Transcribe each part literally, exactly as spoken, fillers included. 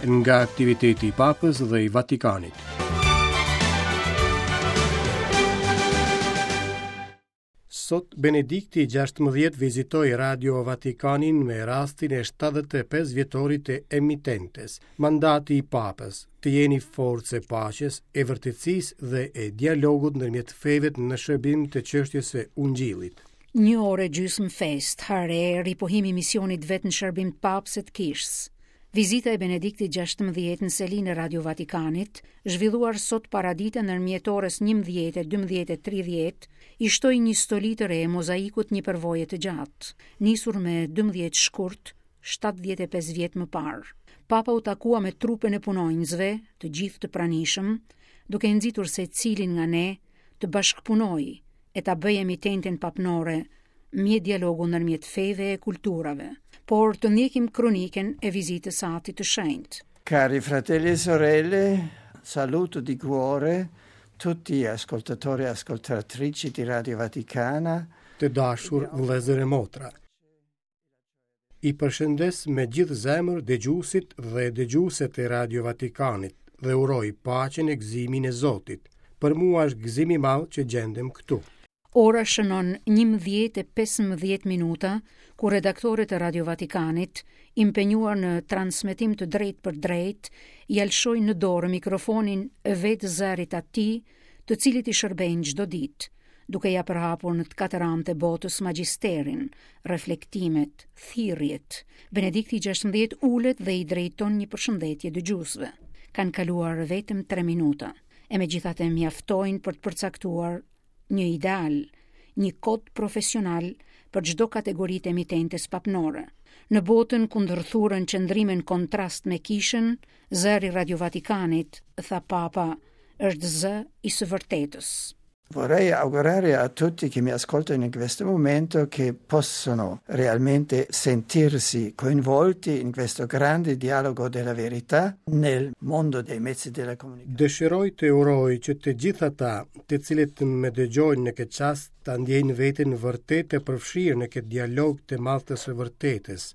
Nga aktiviteti i Papës dhe i Vatikanit. Sot Benedikti gjashtëmbëdhjetë vizitoi Radio Vatikanin me rastin e shtatëdhjetë e pesë vjetorit të emitentes. Mandati i Papës, të jeni forcë e paqes, e vërtetësisë dhe e dialogut ndërmjet feve në shërbim të çështjes së Ungjillit. Një orë e gjysmë fest, hare, ripohimi i misionit vetë në shërbim të Papës e të Kishës. Vizita e Benediktit gjashtëmbëdhjetë në selinë e Radio Vatikanit, zhvilluar sot paradite ndërmjet orës njëmbëdhjetë e dymbëdhjetë e tridhjetë, i shtoi një stoli të re mozaikut një përvoje të gjatë, nisur me dymbëdhjetë shkurt, shtatëdhjetë e pesë vjet më parë. Papa u takua me trupën e punonjësve, të gjithë të pranishëm, duke nxitur secilin nga ne të bashkëpunojë e ta bëjë emitenten papnore mjet dialogu ndërmjet feve e kulturave, por të ndjekim kroniken e vizitës së Atit të Shenjtë. Cari fratelli e sorelle, saluto di cuore tutti ascoltatori e ascoltatrici di Radio Vaticana. Të dashur vëllezër e motra, i përshëndes me gjithë zemër dëgjuesit dhe dëgjueset e Radio Vatikanit dhe uroj paqen e gëzimin e Zotit. Për mua është gëzim i madh që gjendem këtu. Ora shënon njëmbëdhjetë e pesëmbëdhjetë minuta, kur redaktorët e Radio Vatikanit, impenjuar në transmetim të drejtë për drejtë, ja lëshojnë në dorë mikrofonin vetë zërit atij, të cilit i shërbejnë çdo ditë, duke ja përhapur në të katër anët e botës magjisterin, reflektimet, thirrjet. Benedikti gjashtëmbëdhjetë ulet dhe i drejton një përshëndetje dëgjuesve. Kanë kaluar vetëm tre minuta, e megjithatë mjaftojnë për të përcaktuar një ideal, një kod profesional për çdo kategori të emitentes papnore. Në botën ku ndërthurën qëndrime në kontrast me kishën, zëri Radio Vatikanit, tha Papa, është zë i së vërtetës. Vorrei augurare a tutti che mi ascoltano in questo momento che possono realmente sentirsi coinvolti in questo grande dialogo della verità nel mondo dei mezzi della comunicazione. Dëshiroj të uroj që të gjithë ata, të cilët më dëgjojnë në këtë çast, ta ndjejnë veten vërtet të përfshirë në këtë dialog të madh të së vërtetës.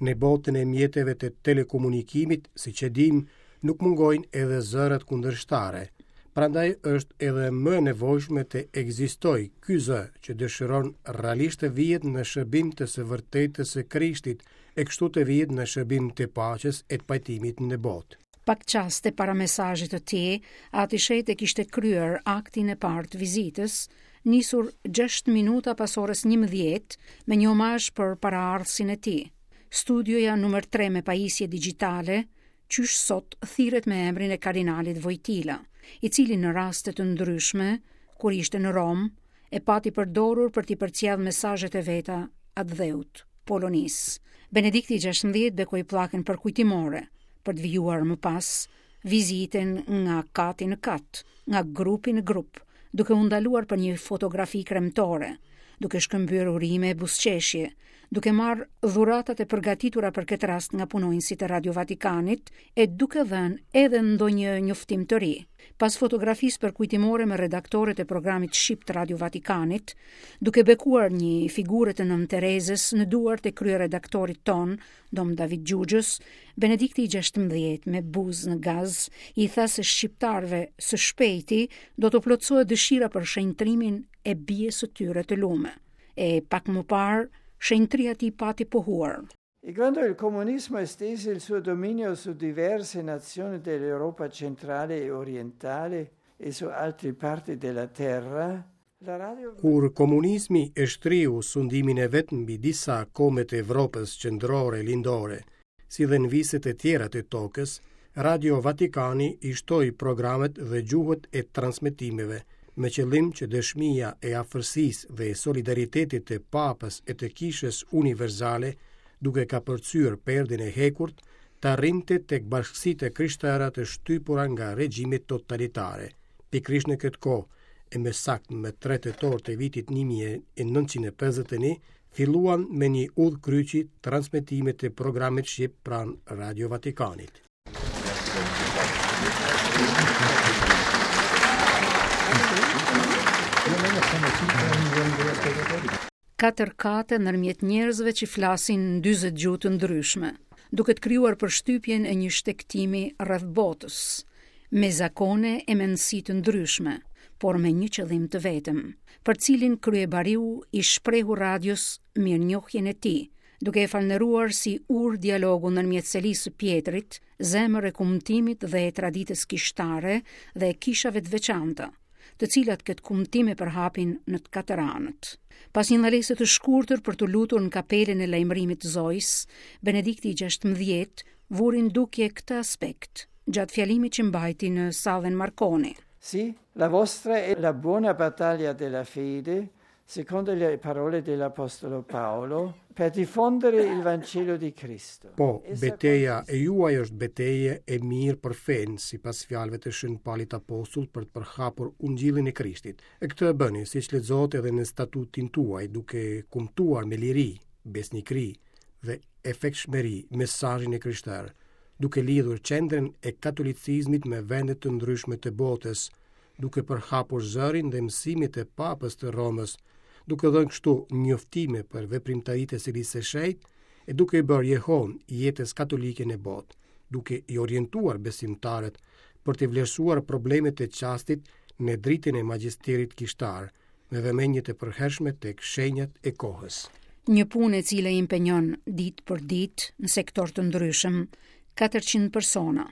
Në botën e mjeteve të telekomunikimit, siç e dim, nuk mungojnë edhe zërat kundërshtare. Prandaj është edhe më e nevojshme të ekzistojë ky zë që dëshiron realisht të vihet në shërbim të së vërtetës së Krishtit e kështu të vihet në shërbim të paqes e të pajtimit në botë. Pak çaste para mesazhit të tij, Ati Shenjtë kishte kryer aktin e parë të vizitës, nisur gjashtë minuta pas orës njëmbëdhjetë me një omazh për paraardhësin e tij. Studioja numër tre me pajisje digjitale, qysh sot thirret me emrin e kardinalit Vojtila, i cili në raste të ndryshme, kur ishte në Romë, e pati përdorur për t'i përcjellë mesazhet e veta atdheut, Polonisë. Benedikti gjashtëmbëdhjetë bekoi pllakën përkujtimore, për të vijuar më pas vizitën nga kati në kat, nga grupi në grup, duke u ndaluar për një fotografi kremtore, duke shkëmbyer urime e buzëqeshje, duke marrë dhuratat e përgatitura për këtë rast nga punonjësit e Radio Vatikanit e duke dhënë edhe ndonjë njoftim të ri. Pas fotografisë përkujtimore me redaktorët e programit shqip të Radio Vatikanit, duke bekuar një figurë të Nënë Terezës në duart e kryeredaktorit ton, Dom David Gjugjës, Benedikti gjashtëmbëdhjetë me buzë në gaz i tha se shqiptarëve së shpejti do të plotësohet dëshira për shenjtrimin e bijes së tyre të lume. E pak më parë, shenjtria e tij pati pohuar. E quando il comunismo estese il suo dominio su diverse nazioni dell'Europa centrale e orientale e su altre parti della terra, la radio Kur komunizmi e shtriu sundimin e vet mbi disa kombe të Evropës qendrore e lindore, si dhe në viset e tjera të tokës, Radio Vatikani i shtoi programet dhe gjuhët e transmetimeve, me qëllim që dëshmia e afërsisë dhe solidaritetit të Papës e të Kishës Universale, duke kapërcyer perdin e hekurt, të arrinte tek bashkësitë e krishtera të shtypura nga regjimet totalitare. Pikërisht në këtë kohë, e më saktë më tre tetor të vitit një mijë e nëntëqind e pesëdhjetë e një, filluan me një udhë kryqi transmetimet e programit shqip pranë Radio Vatikanit. Katër kate ndërmjet njerëzve që flasin në dyzet gjuhë të ndryshme. duke të krijuar përshtypjen e një shtegtimi rreth botës, me zakone e mendësi të ndryshme, por me një qëllim të vetëm, për cilin kryebariu i shprehu radios mirënjohjen e tij, duke e falënderuar si urë dialogu ndërmjet selisë së Pjetrit, zemër e kumtimit dhe e traditës kishtare dhe e kishave të veçanta, të cilat këtë kumtim e përhapin në të katër anët. Pas një ndalese të shkurtër për të lutur në kapelën e lajmërimit të Zojës, Benedikti i gjashtëmbëdhjetë vuri në dukje këtë aspekt gjatë fjalimit që mbajti në sallën Marconi. Sì, la vostra è la buona battaglia della fede, secondo le parole dell'Apostolo Paolo, per diffondere il Vangelo di Cristo. Po, beteja e juaj është betejë e mirë për fenë, sipas fjalëve të Shën Palit Apostull, për të përhapur Ungjillin e Krishtit. E këtë e bëni, siç lexohet edhe në statutin tuaj, duke kumtuar me liri, besnikëri dhe efektshmëri mesazhin e krishterë, duke lidhur qendrën e katolicizmit me vende të ndryshme të botës, duke përhapur zërin dhe mësimet e Papës të Romës, duke dhënë kështu njoftime për veprimtaritë e Selisë së Shenjtë e duke i bërë jehon jetës katolike në botë, duke i orientuar besimtarët për të vlerësuar problemet e çastit në dritën e magjisterit kishtar, me vëmendje të përhershme tek shenjat e kohës. Një punë e cila i impenjon ditë për ditë në sektor të ndryshëm katërqind persona,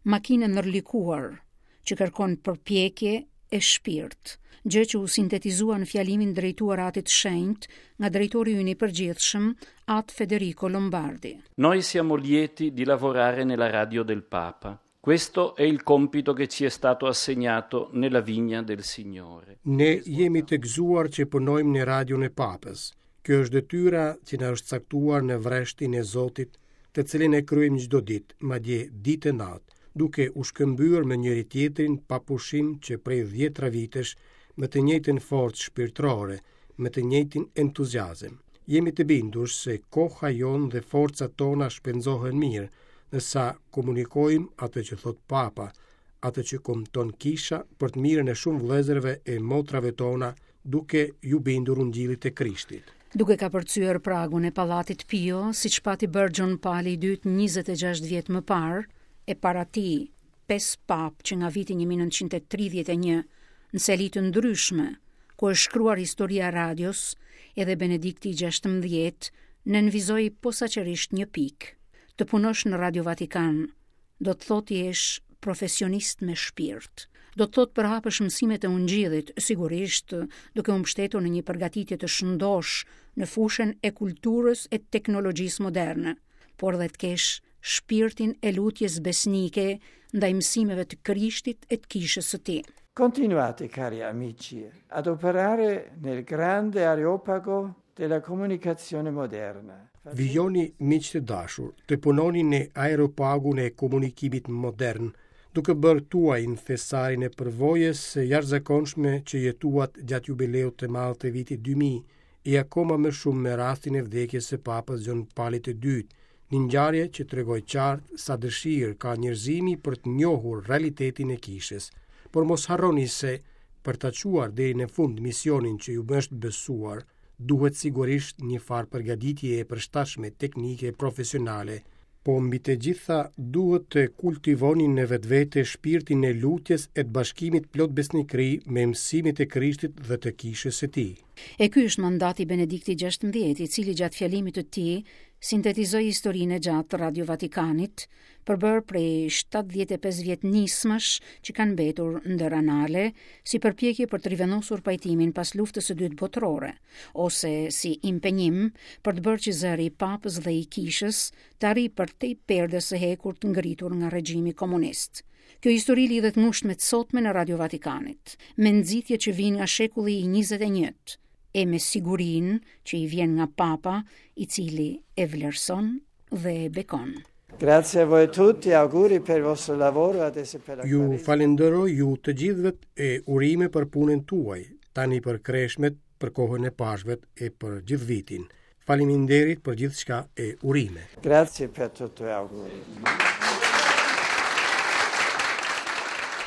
makinë ndërlikuar që kërkon përpjekje e shpirt, gjë që u sintetizua në fjalimin drejtuar Atit Shenjt nga drejtori ynë i përgjithshëm, At Federico Lombardi. Noi siamo lieti di lavorare nella radio del Papa. Questo è il compito che ci è stato assegnato nella vigna del Signore. Ne jemi të gëzuar që punojmë në radion e Papës. Kjo është detyra që na është caktuar në vreshtin e Zotit, të cilin e kryejmë çdo ditë, madje ditë e natë, duke u shkëmbyer me njëri tjetrin pa pushim që prej dhjetra vitesh, me të njëjtën forcë shpirtërore, me të njëjtin entuziazëm. Jemi të bindur se koha jonë dhe forcat tona shpenzohen mirë, nësa komunikojmë atë që thot Papa, atë që kumton kisha për të mirën e shumë vëllezërve e motrave tona, duke ju bindur ungjillit të Krishtit. Duke kapërcyer pragun e Pallatit Pio, siç pati bërë Gjon Pali i dytë njëzet e gjashtë vjet më parë, e para tij pesë papë që nga viti një mijë e nëntëqind e tridhjetë e një në seli të ndryshme, ku është shkruar historia e radios, edhe Benedikti i gjashtëmbëdhjetë nënvizoi posaçërisht një pikë. Të punosh në Radio Vatikan do të thotë jesh profesionist me shpirt. Do të thotë përhapësh mësimet e ungjillit, sigurisht duke u mbështetur në një përgatitje të shëndosh në fushën e kulturës e teknologjisë moderne, por dhe të kesh shpirtin e lutjes besnike ndaj mësimeve të Krishtit e të kishës së tij. Continuate, cari amici, ad operare nel grande areopago della comunicazione moderna. Vijoni, miq të dashur, të punoni në aeropagun e komunikimit modern, duke bërë tuajin thesarin e përvojës së jashtëzakonshme që jetuat gjatë jubileut të madh të vitit dy mijë, e akoma më shumë me rastin e vdekjes së Papës Gjon Palit të dytë, një ngjarje që tregoi qartë sa dëshirë ka njerëzimi për të njohur realitetin e kishës. Por mos harroni se, për ta çuar deri në fund misionin që ju është besuar, duhet sigurisht një farë përgatitje e përshtatshme teknike e profesionale, po mbi të gjitha duhet të kultivoni në vetvete shpirtin e lutjes e të bashkimit plot besnikëri me mësimet e Krishtit dhe të kishës së tij. E ky është mandati i Benediktit gjashtëmbëdhjetë, i cili gjatë fjalimit të tij sintetizoi historinë e gjatë të Radio Vatikanit, përbërë prej shtatëdhjetë e pesë vjet nismash që kanë mbetur ndër anale, si përpjekje për të rivendosur pajtimin pas luftës së dytë botërore, ose si impenjim për të bërë që zëri i Papës dhe i Kishës të arrijë përtej perdes së hekurt ngritur nga regjimi komunist. Kjo histori lidhet ngushtë me të sotmen e Radio Vatikanit, me nxitje që vijnë nga shekulli i njëzet e njëjtë, e me sigurinë që i vjen nga Papa, i cili e vlerëson dhe e bekon. Grazie a voi tutti, auguri per il vostro lavoro, adesso per la Ju Quaresima. falenderoj ju të gjithëve e urime për punën tuaj, tani për kreshmet, për kohën e Pashkëve e për gjithë vitin. Faleminderit për gjithçka e urime. Grazie per tutto e auguri.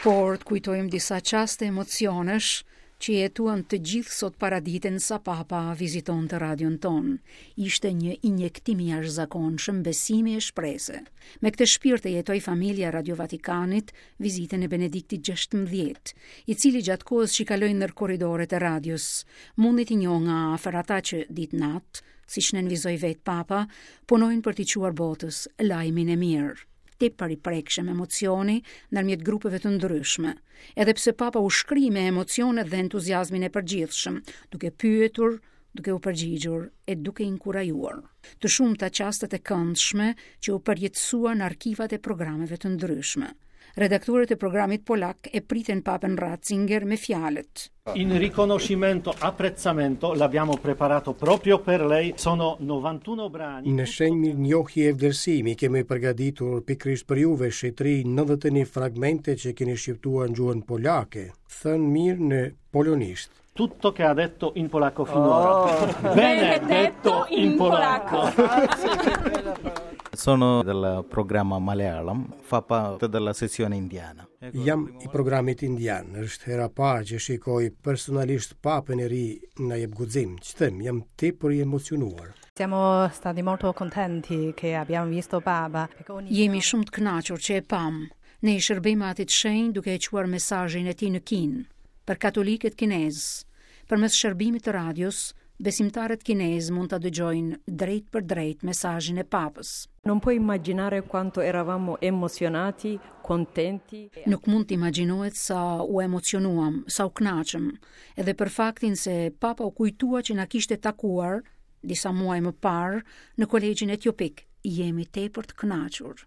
Por të kujtojmë disa çaste emocionesh që jetuan të gjithë sot paraditen sa Papa vizitonte radion tonë. Ishte një injektim i jashtëzakonshëm besimi e shprese. Me këtë shpirt e jetoi familja Radio Vatikanit vizitën e Benediktit gjashtëmbëdhjetë, i cili gjatë kohës që kaloi në korridoret e radios, mundi t'i njohë nga afër ata që ditë natë, siç nënvizoi vetë Papa, punojnë për t'i çuar botës lajmin e mirë. Tepër i prekshëm emocioni ndërmjet grupeve të ndryshme, edhe pse Papa u shkri me emocionet dhe entuziazmin e përgjithshëm, duke pyetur, duke u përgjigjur e duke inkurajuar. Të shumta çastet e këndshme që u përjetësuan në arkivat e programeve të ndryshme. Redaktorët e programit polak e pritën Papën Ratzinger me fjalët. In riconoscimento, apprezzamento, l'abbiamo preparato proprio per lei, sono novantuno brani. Në shenjë mirënjohje e vlerësimi kemi përgatitur pikërisht për juve shenjtëri nëntëdhjetë e një fragmente që keni shqiptuar në gjuhën polake, thënë mirë në polonisht. Tutto che ha detto in polacco finora. Oh. Benedetto in polacco. Sono del programma Malayalam, fa parte della sezione indiana. Jam i programit indian, është hera parë që shikoj personalisht Papën e ri, na jep guxim. Ç'them, jam tepër i emocionuar. Siamo stati molto contenti che abbiamo visto Papa. Jemi shumë të kënaqur që e pam. Ne i shërbejmë Atit Shenjt duke e çuar mesazhin e tij në Kinë për katolikët kinez. Përmes shërbimit të radios, besimtarët kinez mund ta dëgjojnë drejt për drejt mesazhin e Papës. Non puoi immaginare quanto eravamo emozionati, contenti. Nuk mund të imagjinohet sa u emocionuam, sa u kënaqëm, edhe për faktin se Papa u kujtua që na kishte takuar disa muaj më parë në kolegjin etiopik. Jemi tepër të kënaqur.